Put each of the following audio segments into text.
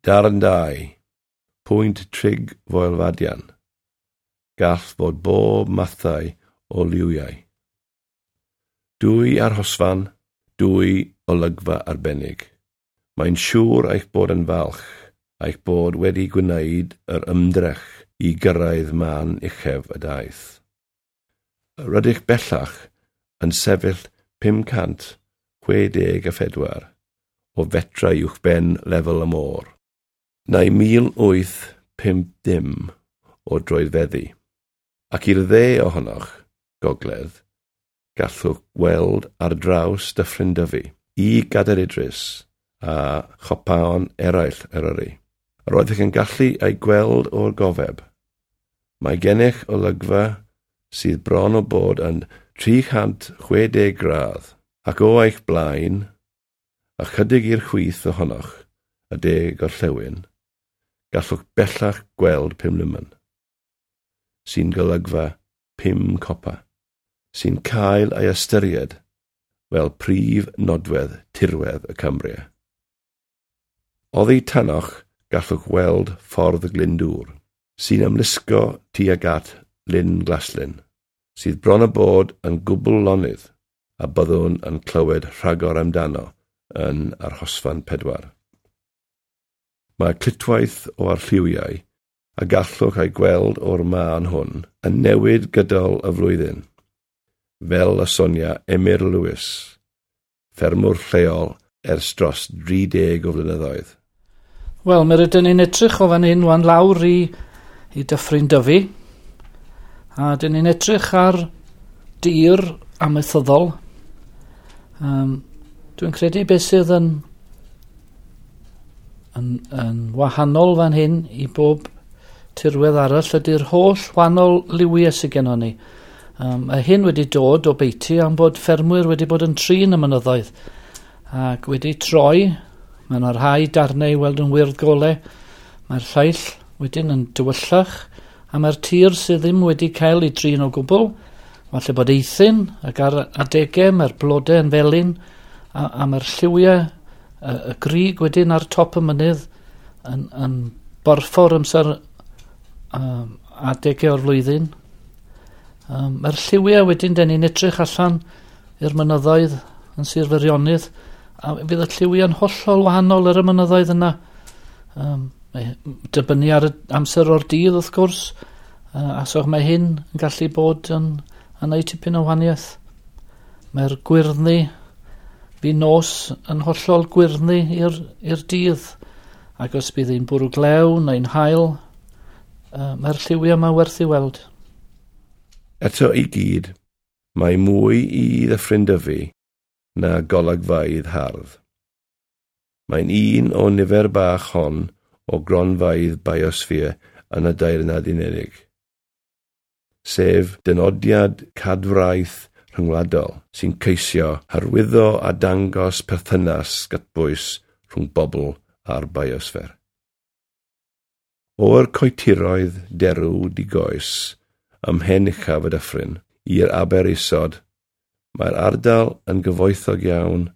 Darn 2. Pwynt Trig Foel Fadian. Gall fod bob mathau o liwiau. Dwy arhosfan, dwy olygfa arbennig. Mae'n siŵr eich bod yn falch eich bod wedi gwneud yr ymdrech i gyrraedd man uchaf y daith. Rydych bellach yn sefyll 564 o fetrau uwchben lefel y môr, neu 1850 o droedfeddi, ac i'r dde ohonoch, gogledd, gallwch weld ar draws Dyffryn Dyfi i Gadair Idris a chopaon eraill Eryri. Roeddech yn gallu ei gweld o'r gofeb. Mae gennych olygfa sydd bron o bod yn 360 gradd, ac o eich blaen, ychydig i'r chwith ohonoch, y de gorllewin, gallwch bellach gweld Pumlumon, sy'n golygfa 5 copa, sy'n cael ei ystyried fel prif nodwedd tirwedd y Cambria. Oddi tanoch gallwch weld ffordd Glyndŵr, sy'n ymlusgo tuag at Lyn Glaslyn, sydd bron â bod yn gwbl lonydd, a byddwn yn clywed rhagor amdano yn arhosfan 4. Mae clytwaith o arlliwiau a gallwch ei gweld o'r man hwn yn newid gydol y flwyddyn, fel y sonia Emyr Lewis, ffermwr lleol ers dros 30 o flynyddoedd. Wel, mi rydyn ni'n edrych o fan hyn wan lawr i Dyffryn Dyfi, a dyn ni'n edrych ar dir amaethyddol. Dwi'n credu beth sydd yn wahanol fan hyn i bob tirwedd arall ydy'r holl wahanol liwiau sydd gennon ni. Mae hyn wedi dod o beiti am bod ffermwyr wedi bod yn trin y mynyddoedd ac wedi troi. Mae yna rhai darnau i weld yn wyrdd gole, mae'r lleill wedyn yn dywyllach, a mae'r tir sydd ddim wedi cael ei drin o gwbl, falle bod eithin ac ar adegau mae'r blodau yn felyn, a mae'r lliwiau, y grug wedyn ar top y mynydd yn borffor amser adegau o'r flwyddyn. Mae'r lliwiau wedyn, den ni'n edrych allan i'r mynyddoedd yn Sir Feirionnydd, a fydd y lliwiau'n hollol wahanol ar y mynyddoedd yna. Dibynnu ar y amser o'r dydd wrth gwrs, a so mae hyn yn gallu bod yn neud tipyn o wahaniaeth. Mae'r gwyrddni fi nos yn hollol gwyrddni i'r dydd, ac os bydd hi'n bwrw glew neu'n haul, mae'r lliwiau yma werth i weld. Eto i gyd, mae mwy i Ddyffryn Dyfi na golygfeydd hardd. Mae'n un o nifer bach hon o gronfeydd biosffer yn y Deyrnas Unedig, sef dynodiad cadwraeth rhyngwladol sy'n ceisio hyrwyddo a dangos perthynas gytbwys rhwng bobl a'r biosffer. O'r coetiroedd derw digoes ym mhen uchaf y dyffryn i'r aber isod, mae'r ardal yn gyfoethog iawn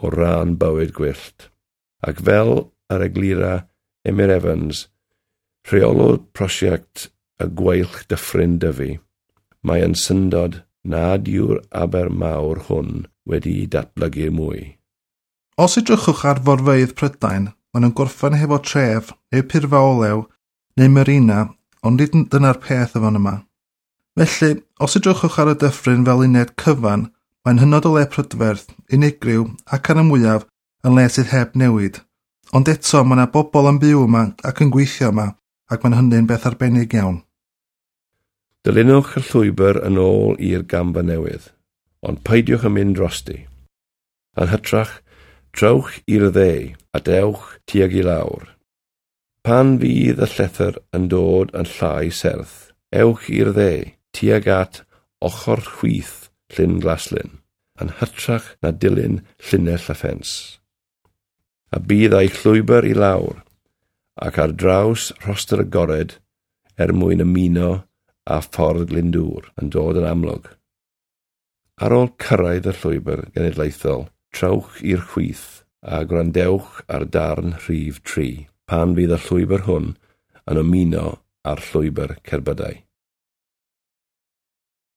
o ran bywyd gwyllt, ac fel yr eglura Emyr Evans, rheolwr prosiect y Gweilch Dyffryn Dyfi, mae yn syndod nad yw'r aber mawr hwn wedi'i datblygu mwy. Os edrychwch ar forfeydd Prydain, maen nhw'n gorffen hefo tref, neu purfa olew, neu marina, ond nid dyna'r peth efo yma. Felly, os edrychwch ar y dyffryn fel uned cyfan, mae'n hynod o le prydferth, unigryw ac ar y mwyaf yn le sydd heb newid. Ond eto, mae yna bobl yn byw yma ac yn gweithio yma, ac mae'n hynny'n beth arbennig iawn. Dilynwch y llwybr yn ôl i'r gamfa newydd, ond peidiwch yn mynd drosti. Yn hytrach, trowch i'r dde a dewch tuag i lawr. Pan fydd y llethr yn dod yn llai serth, ewch i'r dde tuag at ochr chwith Llyn Glaslyn, yn hytrach na dilyn llinell y ffens. A bydd eich llwybr i lawr ac ar draws rhostr agored er mwyn ymuno â ffordd Glyndŵr yn dod yn amlwg. Ar ôl cyrraedd y llwybr genedlaethol, trowch i'r chwith a gwrandewch ar darn rhif 3. pan fydd y llwybr hwn yn ymuno â'r llwybr cerbydau.